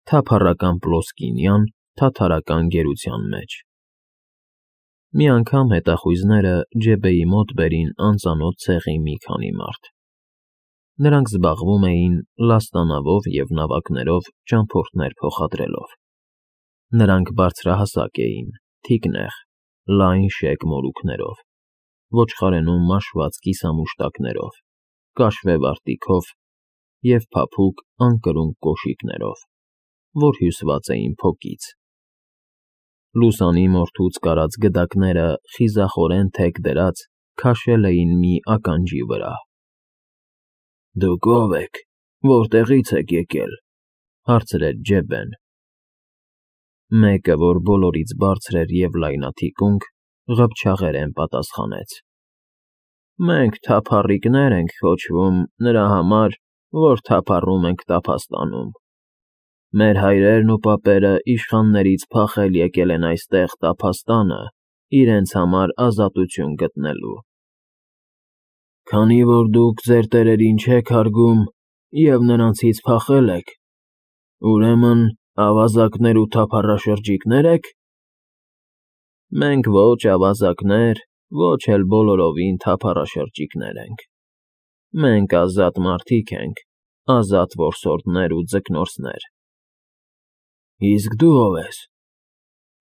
Թափառական Պլոսկինյան թաթարական գերության մեջ։ Մի անգամ հետախույզները Ջեբեի մոտ բերին անծանոթ ցեղի մի քանի մարդ։ Նրանք զբաղվում էին լաստանավով և նավակներով ճամփորդներ փոխադրելով։ Նրանք բարձրահասակ էին, թիկնեղ, լայն շեկ մորուքներով, ոչխարենում մաշված կիսամուշտակներով, կաշվե վարտիքով և փափուկ անկրունկ կոշիկներով, որ հյուսված էին փոկից։ Լուսանի մորթուց կարած գդակները խիզախորեն թեք դրած քաշել էին մի ականջի վրա։ «Դուք ո՞վ եք, որտեղի՞ց եք եկել,֊ հարցրեց Ջեբեն։ Մեկը, որ բոլորից բարձր էր և լայնաթիկունք, ղփչաղերեն պատասխանեց. «Մենք թափառիկներ ենք կոչվում նրա համար, որ թափառում ենք տափաստանում։ Մեր հայրերն ու պապերը իշխաններից փախել եկել են այստեղ տափաստանը իրենց համար ազատություն գտնելու։ Քանի որ դուք ձեր տերերին չեք հարգում և նրանցից փախել եք, ուրեմն ավազակներ ու թափառաշրջիկնե՞ր եք։ Մենք ոչ ավազակներ, ոչ էլ բոլորովին թափառաշրջիկներ ենք։ Մենք ազատ մարդիկ ենք, ազատ որսորդներ ու ձկնորսներ»։ «Իսկ դու ո՞վ ես,֊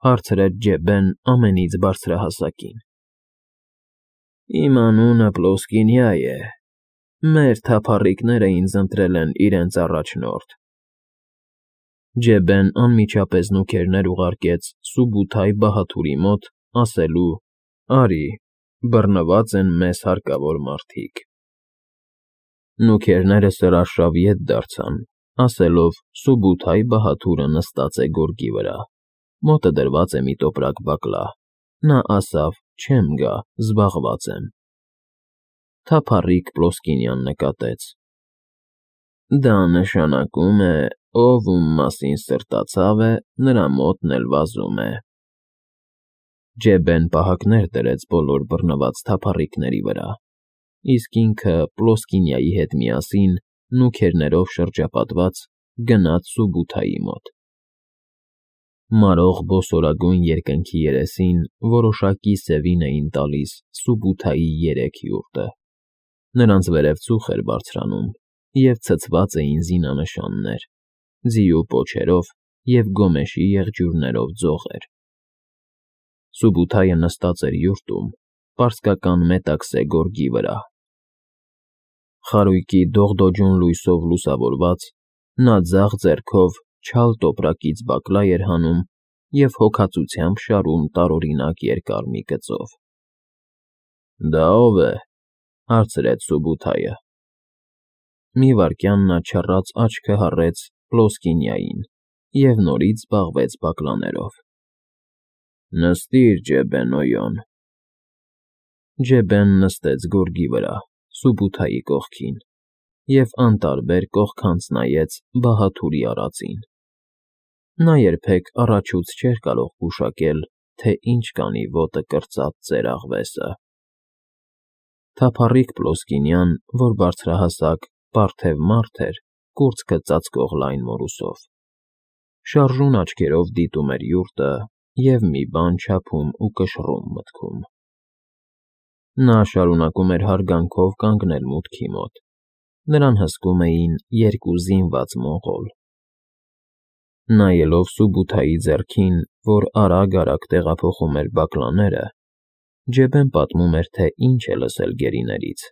հարցրեց Ջեբեն ամենից բարձրահասակին։ «Իմ անունը Պլոսկինյա է, մեր թափառիկները ինձ ընտրել են իրենց առաջնորդ»։ Ջեբեն անմիջապես նուքերներ ուղարկեց Սուբութայ բահաթուրի մոտ, ասելու. «Արի, բռնված են մեզ հարկավոր մարդիկ»։ Նուքերները սրաշավ ետ դարձան, ասելով. Սուբութայ բահաթուրը նստած է գորգի վրա, մոտը դրված է մի տոպրակ բակլա։ Նա ասավ. «Չեմ գա, զբաղված եմ»։ Թափառիկ Պլոսկինյան նկատեց. «Դա նշանակում է, ով ում մասին սրտացավ է, նրա մոտն էլ վազում է»։ Ջեբեն պահակներ դրեց բոլոր բռնված թափառիկների վրա, իսկ ինքը Պլոսկինյայի հետ միասին, նուքերներով շրջապատված, գնաց Սուբութայի մոտ։ Մարող բոսորագույն երկնքի երեսին որոշակի սևին էին տալիս Սուբութայի երեք յուրտը։ Նրանց վերև ծուխ էր բարձրանում, և ցցված էին զինանշաններ, ձիու պոչերով և գոմեշի եղջյուրներով ձողեր։ Սուբութայը նստած էր յուրտում, պարսկական մետաքսե գորգի վրա։ Խարույկի դողդոջուն լույսով լուսավորված, նա ձախ ձեռքով չալ տոպրակից բակլա էր հանում և հոգածությամբ շարում տարօրինակ երկար մի կծով։ «Դա ո՞վ է,֊ հարցրեց Սուբութայը։ Մի վայրկյան նա չռած աչքը հառեց Պլոսկինյային և նորից զբաղվեց բակլաներով։ «Նստիր, Ջեբեն Օյոն»։ Ջեբեն նստեց գորգի վրա, Սուբութայի կողքին, և անտարբեր կողքանց նայեց բահաթուրի արածին։ Նա երբեք առաջուց չէր կարող գուշակել, թե ինչ կանի ոտը կրծած ծեր աղվեսը։ Թափառիկ Պլոսկինյան, որ բարձրահասակ, պարթև մարդ էր, կուրծքը ծածկող լայն մորուսով, շարժուն աչքերով դիտում էր յուրտը և մի բան չափում ու կշռում մտքում։ Նա շարունակում էր հարգանքով կանգնել մուտքի մոտ, նրան հսկում էին երկու զինված մոնղոլ։ Նայելով Սուբութայի ձեռքին, որ արագ֊արագ տեղափոխում էր բակլաները, Ջեբեն պատմում էր, թե ինչ է լսել գերիներից,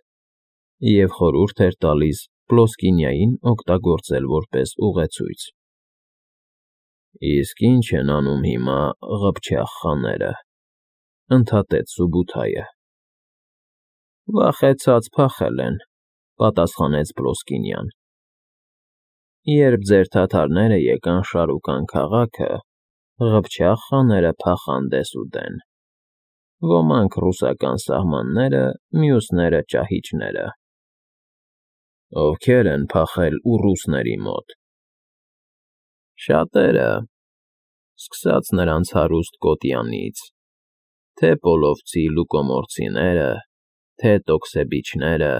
և խորհուրդ էր տալիս Պլոսկինյային օգտագործել որպես ուղեցույց։ «Իսկ ի՞նչ են անում հիմա ղփչաղ խաները,֊ ընդհատեց Սուբութայը։ «Վախեցած փախել են,֊ պատասխանեց Պլոսկինյան։ Երբ ձեր թաթարները եկան շարուկան քաղաքը, ղփչաղ խաները փախան դեսուդեն։ Ոմանք ռուսական սահմանները, մյուսները ճահիճները»։ «Ովքեր են փախել ուռուսների մոտ»։ «Շատերը, սկսած նրանց հարուստ Կոտյանից, թե Պոլովցի լուկոմորցիները, թե տոքսեբիչները,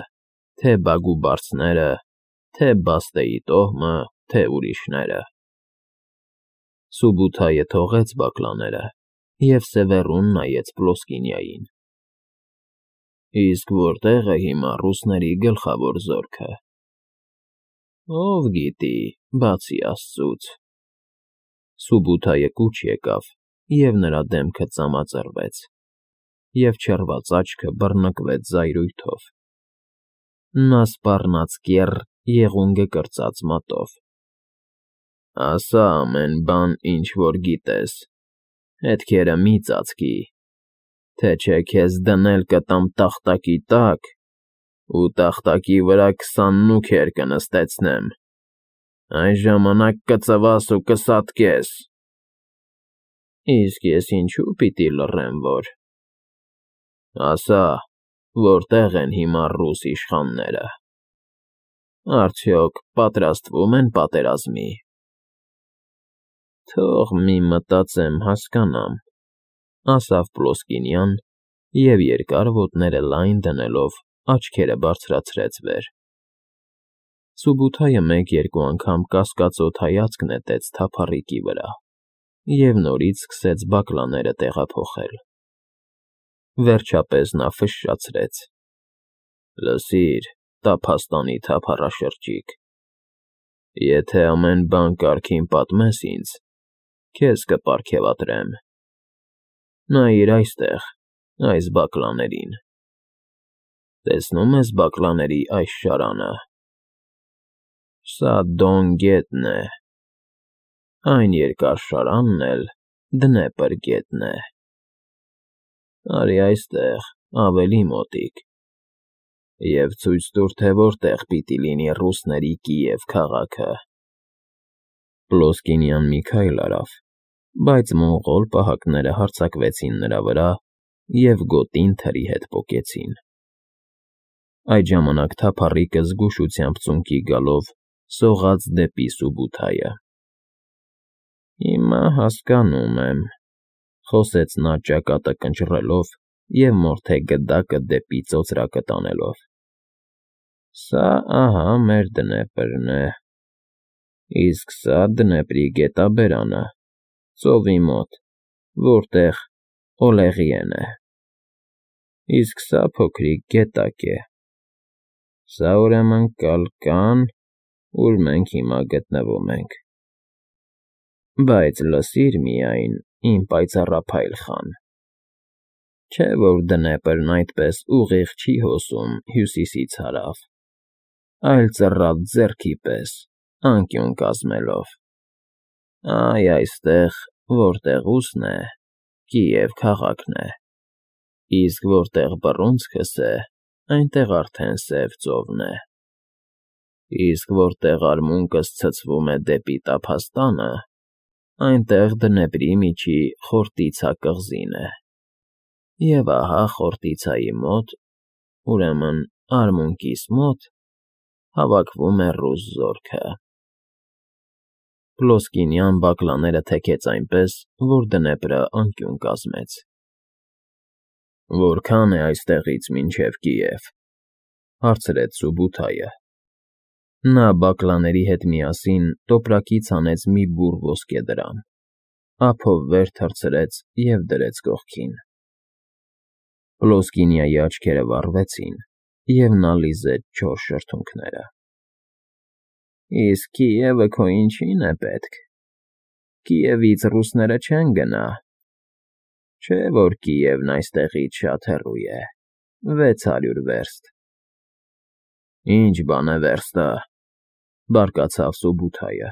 թե բագուբարցները, թե Բաստեի տոհմը, թե ուրիշները։ Սուբութայը թողեց բակլաները և սևեռուն նայեց Պլոսկինիային։ Իսկ որտե՞ղ է հիմա ռուսների գլխավոր զորքը։ Ով գիտի, բացի աստծուց։ Սուբութայը կուչ եկավ, և նրա դեմքը ծամածրվեց, և չռված աչքը բռնկվեց զայրույթով։ Նա սպառնաց կեռ, եղունգը կրծած մատով։ Ասա ամեն բան, ինչ որ գիտես, հետքերը մի ծածկի, թե չէ քեզ դնել կտամ տախտակի տակ ու տախտակի վրա 20 նուքեր կնստեցնեմ, այն ժամանակ կծվաս ու կսատկես։ Իսկ ես ինչու պիտի լռեմ, որ… Ասա, որտե՞ղ են հիմա ռուս իշխանները, արդյոք պատրաստվում են պատերազմի։ Թող մի մտածեմ, հասկանամ, ասավ Պլոսկինյան և երկար ոտները լայն դնելով աչքերը բարձրացրեց վեր։ Սուբութայը մեկ-երկու անգամ կասկածոտ հայացք նետեց թափառիկի վրա և նորից սկսեց բակլաները տեղափոխել։ Վերջապես նա ֆշշացրեց. Լսիր, տափաստանի թափառաշրջիկ, եթե ամեն բան կարգին պատմես ինձ, քեզ կպարգևատրեմ։ Նայիր այստեղ, այս բակլաներին։ Տեսնո՞ւմ ես բակլաների այս շարանը։ Սա Դոն գետն է, այն երկար շարանն էլ Դնեպր գետն է։ Արի այստեղ, ավելի մոտիկ, և ցույց տուր, թե որտեղ պիտի լինի ռուսների Կիև քաղաքը։ Պլոսկինյան մի քայլ արավ, բայց մոնղոլ պահակները հարձակվեցին նրա վրա և գոտին թրի հետ պոկեցին։ Այդ ժամանակ թափառիկը զգուշությամբ ծունկի գալով սողաց դեպի Սուբութայը։ Հիմա հասկանում եմ, խոսեց նա ճակատը կնճռելով և մորթե գդակը դեպի ծոծրակը տանելով։ Սա, ահա, մեր Դնեպրն է, իսկ սա Դնեպրի գետաբերանը, ծովի մոտ, որտեղ Օլեղիեն է, իսկ սա փոքրիկ գետակ է։ Սա, ուրեմն, Կալկան, ուր մենք հիմա գտնվում ենք։ Բայց լսիր միայն, իմ պայծառափայլ խան, չէ՞ որ Դնեպրն այդպես ուղիղ չի հոսում հյուսիսից հարավ, այլ ծռատ ձեռքի պես, անկյուն կազմելով։ Այ այստեղ, որտեղ ուսն է, Կիև քաղաքն է, իսկ որտեղ բռունցքս է, այնտեղ արդեն Սև ծովն է, իսկ որտեղ արմունկս ցցվում է դեպի տափաստանը, այնտեղ Դնեպրի միջի Խորտիցա կղզին է, և ահա Խորտիցայի մոտ, ուրեմն արմունկիս մոտ, հավաքվում է ռուս զորքը։ Պլոսկինյան բակլաները թեքեց այնպես, որ Դնեպրը անկյուն կազմեց։ Որքա՞ն է այստեղից մինչև Կիև, հարցրեց Սուբութայը։ Նա բակլաների հետ միասին տոպրակից հանեց մի բուռ ոսկեդրամ, ափով վեր թռցրեց և դրեց կողքին։ Պլոսկինիայի աչքերը վառվեցին, և նա լիզեց չոր շրթունքները։ Իսկ Կիևը քո ինչի՞ն է պետք։ Կիևից ռուսները չեն գնա։ Չէ՞ որ Կիևն այստեղից շատ հեռու է, 600 վերստ։ Ինչ բան է վերստը, բարկացավ Սուբութայը,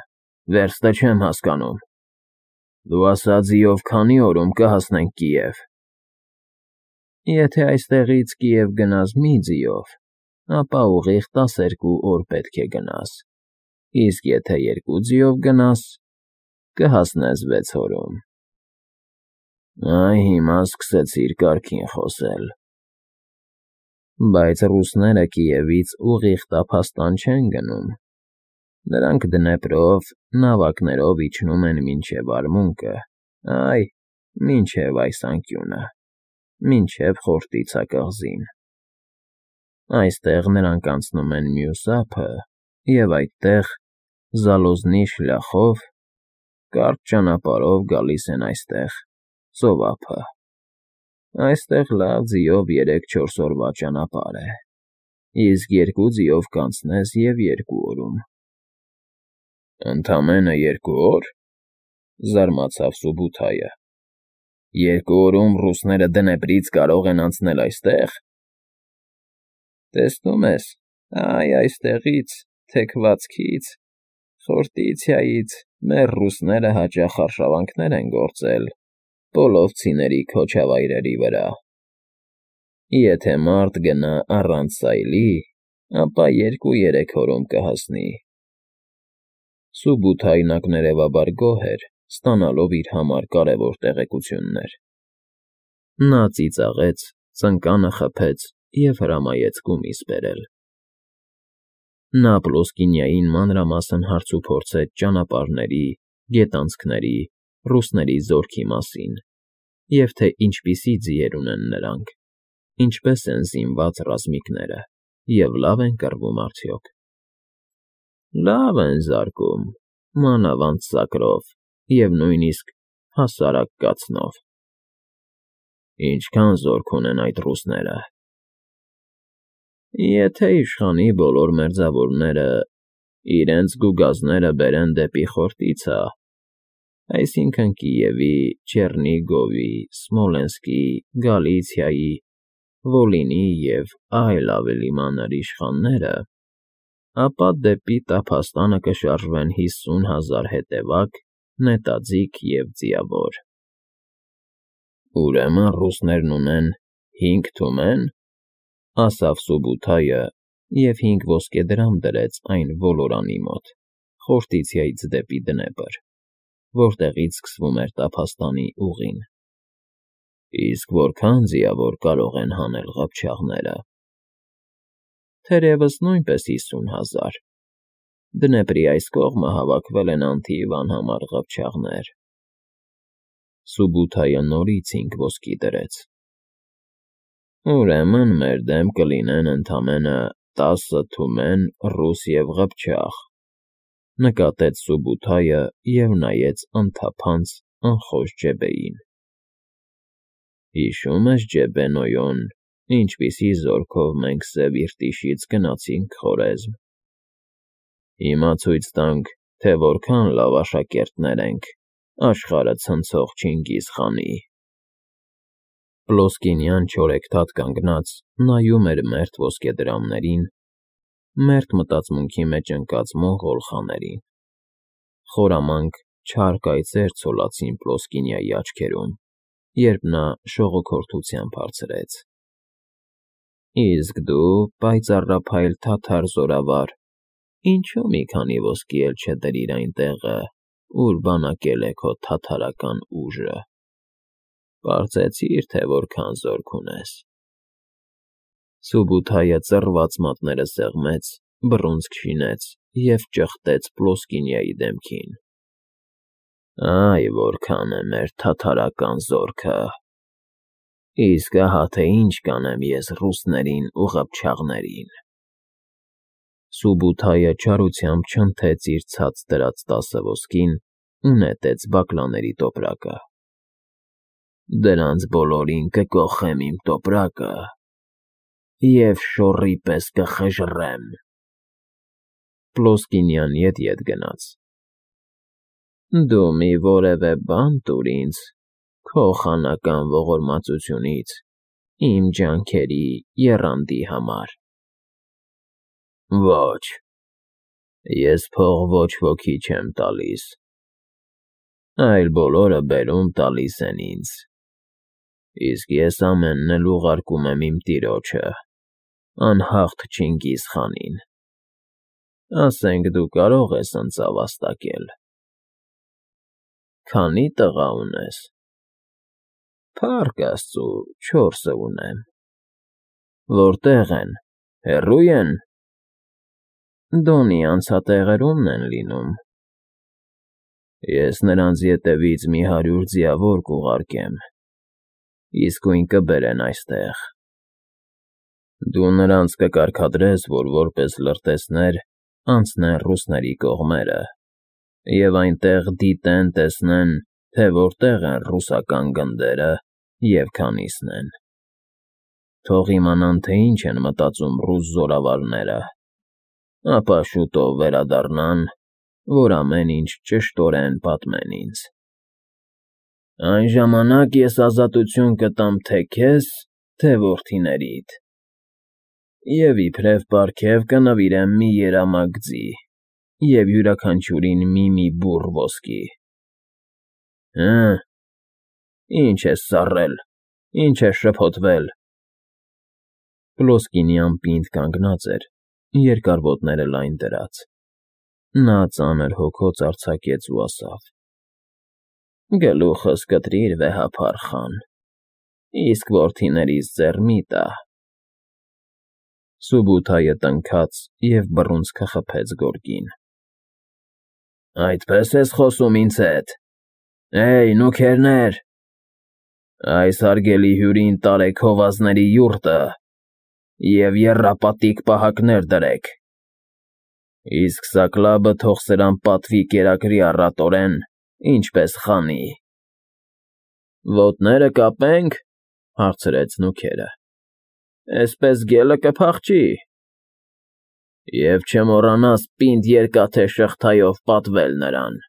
վերստը չեմ հասկանում։ Դու ասա ձիով քանի օրում կհասնենք Կիև։ Եթե այստեղից Կիև գնաս մի ձիով, ապա ուղիղ 12 օր պետք է գնաս, իսկ եթե 2 ձիով գնաս, կհասնես 6 օրում։ Այ հիմա սկսեցիր կարգին խոսել։ Բայց ռուսները Կիևից ուղիղ տափաստան չեն գնում։ Նրանք Դնեպրով, նավակներով իջնում են մինչև արմունկը, այ, մինչև այս անկյունը, մինչև Խորտիցա կղզին։ Այստեղ նրանք անցնում են մյուս ափը և այդտեղ, Զալոզնի շլախով, Կարճ ճանապարհով գալիս են այստեղ, ծով ափը։ Այստեղ լավ ձիով 3-4 օրվա ճանապարհ է, իսկ 2 ձիով կանցնես և 2 օրում։ Ընդամենը 2 օր,֊ զարմացավ Սուբութայը։ 2 օրում ռուսները Դնեպրից կարող են անցնել այստեղ։ Տեսնում ես, այստեղից, թեքվածքից, Խորտիցիայից մեր ռուսները հաճախ արշավանքներ են գործել պոլովցիների քոչավայրերի վրա։ Եթե մարդ գնա առանց սայլի, ապա 2-3 օրում կհասնի։ Սուբութայն ակներևաբար գոհ էր, ստանալով իր համար կարևոր տեղեկություններ։ Նա ծիծաղեց, ծնկանը խփեց և հրամայեց կումիս բերել։ Նա Պլոսկինիային մանրամասն հարցուփորձեց ճանապարհների, գետանցքների, ռուսների զորքի մասին և թե ինչպիսի ձիեր ունեն նրանք, ինչպես են զինված ռազմիկները և լավ են կռվում արդյոք։ Լավ են զարկում, մանավանդ սակրով և նույնիսկ հասարակ կացնով։ Ինչքան զորք ունեն այդ ռուսները։ Եթե իշխանի բոլոր մերձավորները իրենց գուգազները բերեն դեպի Խորտիցա, այսինքն՝ Կիևի, Չեռնիգովի, Սմոլենսկի, Գալիցիայի, Վոլինի և այլ ավելի մանր իշխանները, ապա դեպի տափաստանը կշարժվեն 50,000 հետևակ, նետաձիգ և ձիավոր։ Ուրեմն ռուսներն ունեն 5 թումե՞ն,֊ ասավ Սուբութայը և 5 ոսկեդրամ դրեց այն ոլորանի մոտ, Խորտիցիայից դեպի Դնեպր, որտեղից սկսվում էր տափաստանի ուղին։ Իսկ որքա՞ն ձիավոր կարող են հանել ղփչաղները։ Թերևս նույնպես 50,000. Դնեպրի այս կողմը հավաքվել են անթիվ անհամար ղփչաղներ։ Սուբութայը նորից 5 ոսկի դրեց։ Ուրեմն մեր դեմ կլինեն ընդամենը 10 թումեն ռուս և ղփչաղ,֊ նկատեց Սուբութայը և նայեց անթափանց, անխոժ Ջեբեին։ Հիշո՞ւմ ես, Ջեբենոյոն, ինչպիսի զորքով մենք Սև Իրտիշից գնացինք Խորեզմ։ Հիմա ցույց տանք, թե որքան լավ աշակերտներ ենք աշխարհը ցնցող Չինգիզ խանի։ Պլոսկինյան չորեքթաթ կանգնած նայում էր մերթ ոսկեդրամներին, մերթ մտածմունքի մեջ ընկած մոնղոլ խաներին։ Խորամանկ, չար կայծեր ցոլացին Պլոսկինյայի աչքերում, երբ նա շողոքորթությամբ հարցրեց. Իսկ դու, պայծառափայլ թաթար զորավար, ինչո՞ւ մի քանի ոսկի էլ չդրիր այն տեղը, ուր բանակել է քո թաթարական ուժը։ Պարզեցի՞ր, թե որքան զորք ունես։ Սուբութայը ծռված մատները սեղմեց, բռունցք շինեց և ճխտեց Պլոսկինյայի դեմքին։ Այ որքան է մեր թաթարական զորքը։ Իսկ ահա թե ինչ կանեմ ես ռուսներին ու ղփչաղներին։ Սուբութայը չարությամբ չնթեց իր ցած դրած 10 ոսկին ու նետեց բակլաների տոպրակը։ Դրանց բոլորին կկոխեմ իմ տոպրակը և շոռի պես կխժռեմ։ Պլոսկինյան ետ գնաց։ Դու մի որևէ բան տուր ինձ քո խանական ողորմածությունից իմ ջանքերի եռանդի համար։ Ոչ, ես փող ոչ ոքի չեմ տալիս, այլ բոլորը բերում տալիս են ինձ, իսկ ես ամենն էլ ուղարկում եմ իմ տիրոջը, անհաղթ Չինգիզ խանին։ Ասենք դու կարող ես ընձավ վաստակել։ Քանի՞ տղա ունես։ Փառք աստծու, 4 ունեմ։ Որտե՞ղ են, հեռո՞ւ են։ Դոնի անցատեղերումն են լինում։ Ես նրանց ետևից մի 100 ձիավոր կուղարկեմ, իսկույն կբերեն այստեղ։ Դու նրանց կկարգադրես, որ որպես լրտեսներ անցնեն ռուսների կողմերը Եվ այնտեղ դիտեն, տեսնեն, թե որտեղ են ռուսական գնդերը և քանիսն են։ Թող իմանան, թե ինչ են մտածում ռուս զորավարները, ապա շուտով վերադառնան, որ ամեն ինչ ճշտորեն պատմեն ինձ։ Այն ժամանակ ես ազատություն կտամ թե քեզ, թե որդիներիդ, և իբրև պարգև կնվիրեմ մի երամակ ձի և յուրաքանչյուրին մի բուռ ոսկի։ Հը՞, ինչ ես սառել, ինչ ես շփոթվել։ Պլոսկինի անպինդ կանգնած էր, երկար ոտները լայն դրած։ Նա ծանր հոգոց արձակեց ու ասավ. Գլուխս կտրիր, վեհափառ խան, իսկ որդիներիս ձեռ մի տա։ Սուբութայը տնքաց և բռունցքը խփեց գորգին։ Այդպե՞ս ես խոսում ինձ հետ, նուքերներ, այս հարգելի հյուրին տարեք հովազների յուրտը և եռապատիկ պահակներ դրեք, իսկ սակլաբը թող սրան պատվի կերակրի առատորեն, ինչպես խանի։ Ոտները կապե՞նք, հարցրեց նուքերը, էսպես գելը կփախչի։ Եվ չմոռանաս պինդ երկաթե շղթայով պատվել նրան։